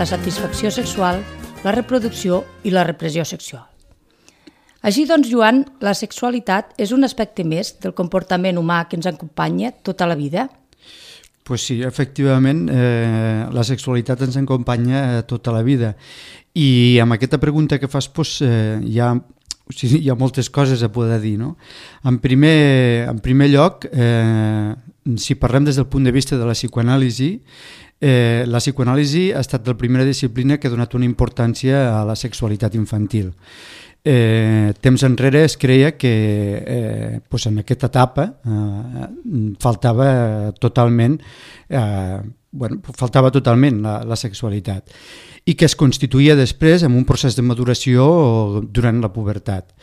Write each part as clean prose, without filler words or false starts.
la satisfacció sexual, la reproducció i la repressió sexual. Així doncs, Joan, la sexualitat és un aspecte més del comportament humà que ens acompanya tota la vida? Pues sí, efectivament, la sexualitat ens acompanya tota la vida. I amb aquesta pregunta que fas, hi ha moltes coses a poder dir, no? En primer lloc, si parlem des del punt de vista de la psicoanàlisi, la psicoanàlisi ha estat la primera disciplina que ha donat una importància a la sexualitat infantil. Temps enrere es creia que en aquesta etapa faltava totalment la sexualitat i que es constituïa després en un procés de maduració durant la pubertat.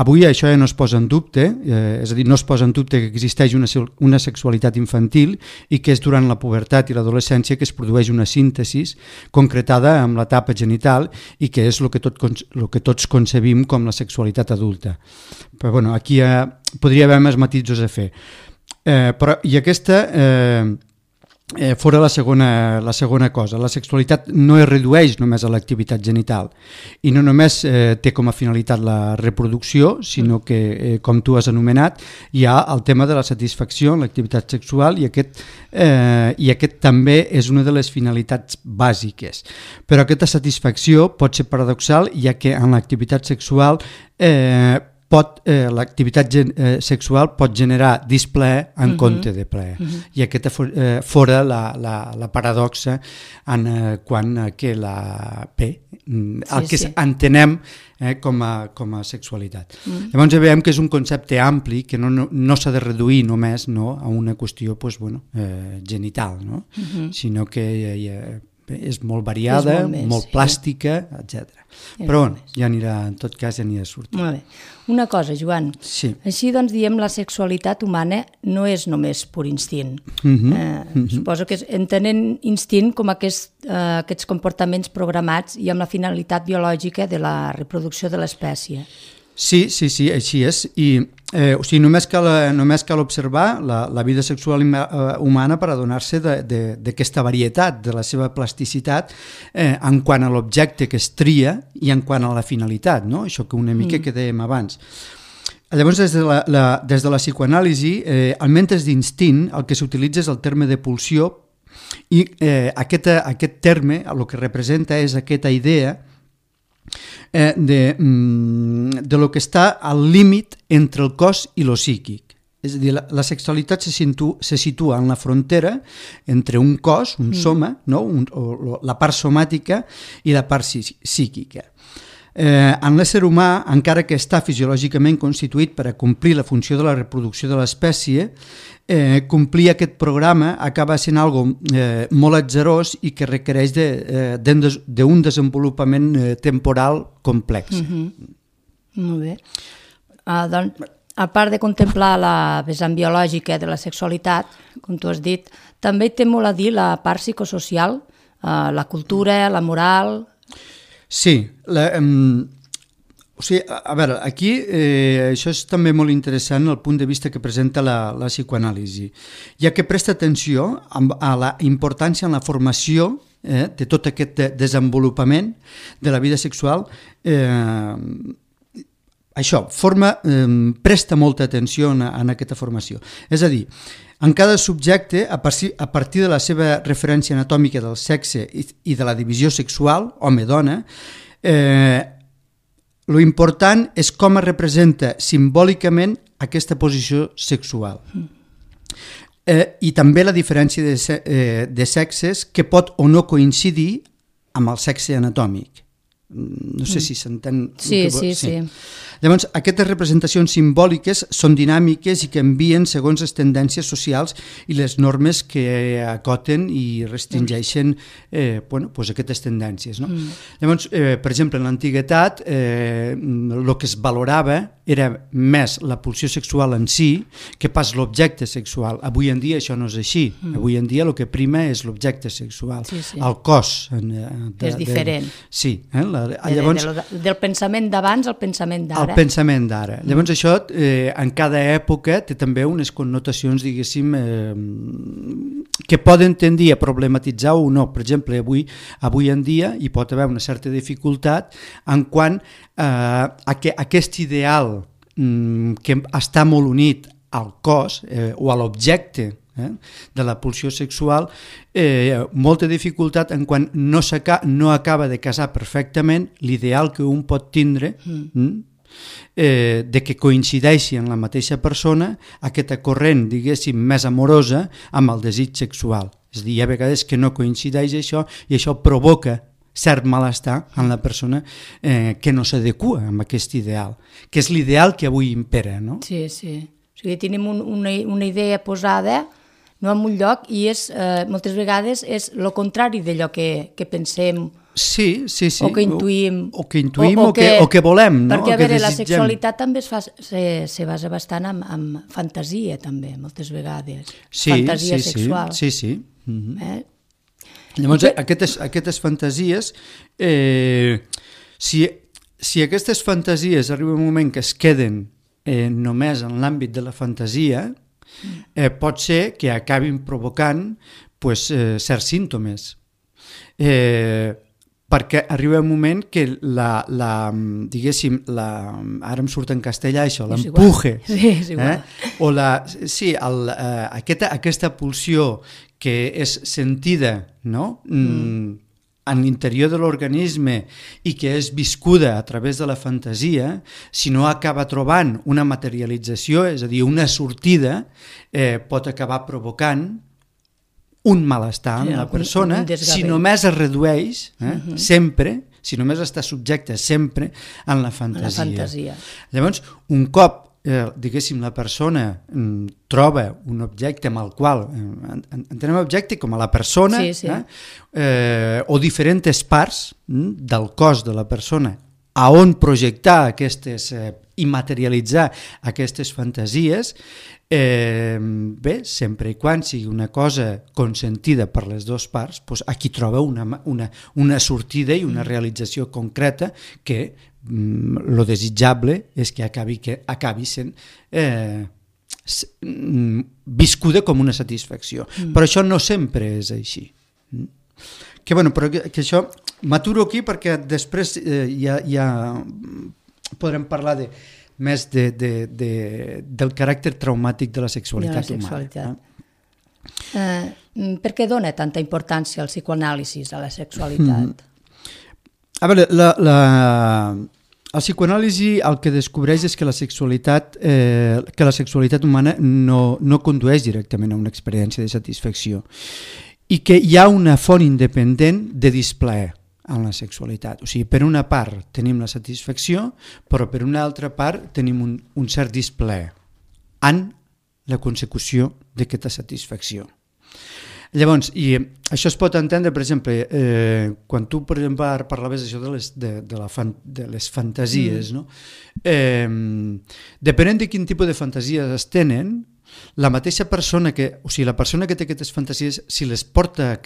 Avui això ja no es posa en dubte, és a dir, no es posa en dubte que existeix una sexualitat infantil i que és durant la pubertat i l'adolescència que es produeix una síntesi concretada amb l'etapa genital i que és el que tots concebim com la sexualitat adulta. Però bueno, aquí podria haver més matisos a fer. I aquesta... fora la segona cosa. La sexualitat no es redueix només a l'activitat genital i no només té com a finalitat la reproducció, sinó que, com tu has anomenat, hi ha el tema de la satisfacció en l'activitat sexual i aquest també és una de les finalitats bàsiques. Però aquesta satisfacció pot ser paradoxal, ja que en l'activitat sexual l'activitat sexual pot generar displaer en compte de plaer. I aquesta fora la paradoxa en quant que que entenem com a sexualitat. Llavors veiem que és un concepte ampli que no s'ha de reduir només a una qüestió genital, sinó que és molt variada, molt plàstica, etc. Però en tot cas ja anirà sortint. Molt bé. Una cosa, Joan, així doncs diem la sexualitat humana no és només pur instint. Suposo que entenent instint com aquests comportaments programats i amb la finalitat biològica de la reproducció de l'espècie. Sí, així és. Només cal observar la vida sexual humana per adonar-se d'aquesta varietat, de la seva plasticitat en quant a l'objecte que es tria i en quant a la finalitat, no? Això que una mica que dèiem abans. Llavors, des de la psicoanàlisi, almenys d'instint, el que s'utilitza és el terme de pulsió i aquest terme el que representa és aquesta idea de lo que està al límit entre el cos i lo psíquic. És a dir, la sexualitat se situa en la frontera entre un cos, un soma, la part somàtica i la part psíquica. En l'ésser humà, encara que està fisiològicament constituït per a complir la funció de la reproducció de l'espècie, complir aquest programa acaba sent algo molt atzarós i que requereix d'un desenvolupament temporal complex. Molt bé. Doncs, a part de contemplar la vessant biològica de la sexualitat, com tu has dit, també té molt a dir la part psicosocial, la cultura, la moral... Sí, a veure, aquí això és també molt interessant el punt de vista que presenta la psicoanàlisi, ja que presta atenció a la importància en la formació de tot aquest desenvolupament de la vida sexual. Això, presta molta atenció en aquesta formació. És a dir, en cada subjecte, a partir de la seva referència anatòmica del sexe i de la divisió sexual, home-dona, lo important és com es representa simbòlicament aquesta posició sexual. I també la diferència de sexes que pot o no coincidir amb el sexe anatòmic. No sé si s'entén... Sí. Llavors, aquestes representacions simbòliques són dinàmiques i canvien segons les tendències socials i les normes que acoten i restringeixen aquestes tendències. Llavors, per exemple, en l'antiguitat, el que es valorava era més la pulsió sexual en si que pas l'objecte sexual. Avui en dia això no és així. Avui en dia el que prima és l'objecte sexual. El cos. És diferent. Sí, Llavors, del pensament d'abans al pensament d'ara. El pensament d'ara. Llavors això, en cada època, té també unes connotacions, diguéssim, que poden tendir a problematitzar o no. Per exemple, avui en dia hi pot haver una certa dificultat en quant a aquest ideal que està molt unit al cos o a l'objecte de la pulsió sexual, molta dificultat en quan no acaba de casar perfectament l'ideal que un pot tindre de que coincideixi en la mateixa persona aquesta corrent, diguéssim, més amorosa amb el desig sexual. És a dir, hi ha vegades que no coincideix això i això provoca cert malestar en la persona que no s'adequa amb aquest ideal, que és l'ideal que avui impera, no? Sí, sí. O sigui, tenim una idea posada no en un lloc i moltes vegades és el contrari d'allò que pensem o que intuïm o que volem, no? Perquè a veure, la sexualitat també se basa bastant en fantasia també, moltes vegades, fantasia sexual. Sí. Llavors aquestes fantasies, si aquestes fantasies arriba un moment que es queden només en l'àmbit de la fantasia, pot ser que acabin provocant certs símptomes, perquè arriba un moment que diguéssim, ara em surt en castellà això, l'empuje, o aquesta pulsió que és sentida, no? En l'interior de l'organisme i que és viscuda a través de la fantasia, si no acaba trobant una materialització, és a dir, una sortida, pot acabar provocant un malestar en la persona si només es redueix sempre, si només està subjecte sempre en la fantasia. Llavors, un cop diguéssim, la persona troba un objecte amb el qual entenem objecte com a la persona o diferents parts del cos de la persona a on projectar i materialitzar aquestes fantasies, sempre i quan sigui una cosa consentida per les dues parts, aquí troba una sortida i una realització concreta que lo desitjable és que acabi sent viscuda com una satisfacció. Però això no sempre és així. Però que això m'aturo aquí perquè després ja podrem parlar més del caràcter traumàtic de la sexualitat humana. Per què dona tanta importància el psicoanàlisi a la sexualitat? A veure, el psicoanàlisi el que descobreix és que la sexualitat humana no condueix directament a una experiència de satisfacció i que hi ha una font independent de displaer en la sexualitat. O sigui, per una part tenim la satisfacció, però per una altra part tenim un cert displaer en la consecució d'aquesta satisfacció. Llavors, i això es pot entendre, per exemple, quan tu, per exemple, parlaves això de les fantasies, no? Depenent de quin tipus de fantasies es tenen, la mateixa persona la persona que té aquestes fantasies, si les portar a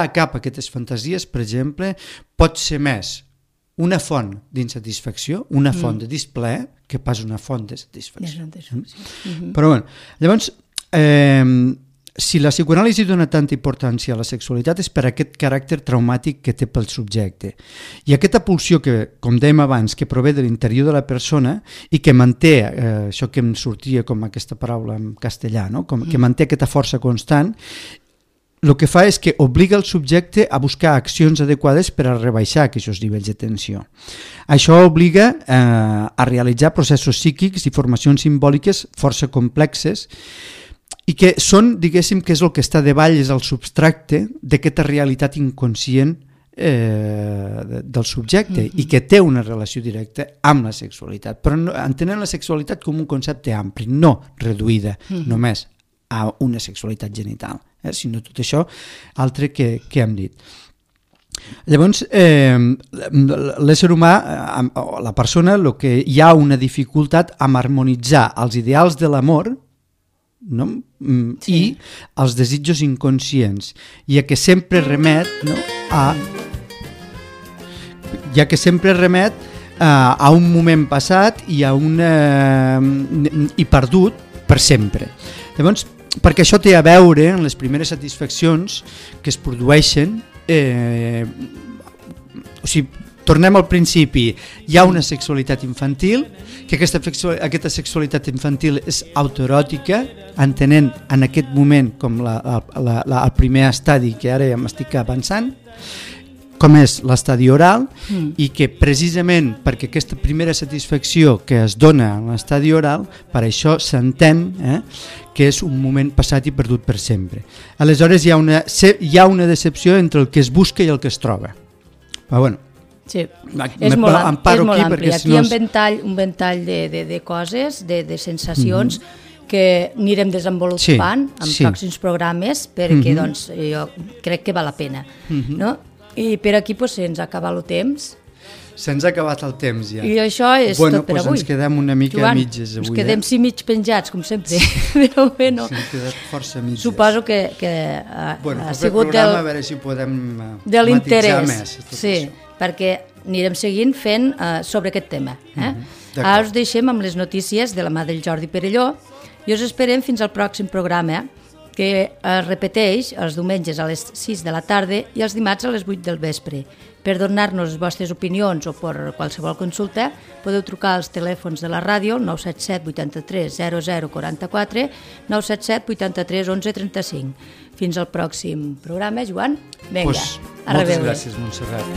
cap aquestes fantasies, per exemple, pot ser més una font d'insatisfacció, una font de displaer, que pas una font de satisfacció. Però bé, llavors, si la psicoanàlisi dona tanta importància a la sexualitat és per aquest caràcter traumàtic que té pel subjecte. I aquesta pulsió que, com dèiem abans, que prové de l'interior de la persona i que manté, això que em sortia com aquesta paraula en castellà, no? Que manté aquesta força constant, el que fa és que obliga el subjecte a buscar accions adequades per a rebaixar aquests nivells de tensió. Això obliga a realitzar processos psíquics i formacions simbòliques força complexes i que són, diguéssim, que és el que està davall, és el substracte d'aquesta realitat inconscient del subjecte i que té una relació directa amb la sexualitat, però entenent la sexualitat com un concepte ampli, no reduïda només a una sexualitat genital, sinó tot això altre que hem dit. Llavors, l'ésser humà, la persona, el que hi ha una dificultat amb harmonitzar els ideals de l'amor, no? I els desitjos inconscients, i a que sempre remet, no? ja que sempre remet a un moment passat i i perdut per sempre. Llavors, perquè això té a veure amb les primeres satisfaccions que es produeixen, o sigui, tornem al principi, hi ha una sexualitat infantil, que aquesta sexualitat infantil és autoeròtica, entenent en aquest moment com el primer estadi que ara ja m'estic avançant, com és l'estadi oral, i que precisament perquè aquesta primera satisfacció que es dona en l'estadi oral, per això s'entén que és un moment passat i perdut per sempre. Aleshores hi ha una decepció entre el que es busca i el que es troba. Però bueno, sí, és molt ampli. Aquí hi ha un ventall de coses, de sensacions, que anirem desenvolupant en pròxims programes, perquè jo crec que val la pena. I per aquí se'ns ha acabat el temps. Se'ns ha acabat el temps ja. I això és tot per avui. Ens quedem una mica a mitges avui. Ens quedem mig penjats, com sempre. Però bueno, s'han quedat força mitges. Suposo que ha sigut programa, a veure si podem de matitzar més. Sí, perquè anirem seguint fent sobre aquest tema. Ara us deixem amb les notícies de la mà del Jordi Perelló i us esperem fins al pròxim programa, que es repeteix els diumenges a les 6 de la tarda i els dimarts a les 8 del vespre. Per donar-nos les vostres opinions o per qualsevol consulta, podeu trucar als telèfons de la ràdio 977 83 00 44, 977 83 11 35. Fins al pròxim programa, Joan. Vinga, a reveure. Moltes gràcies, Montserrat.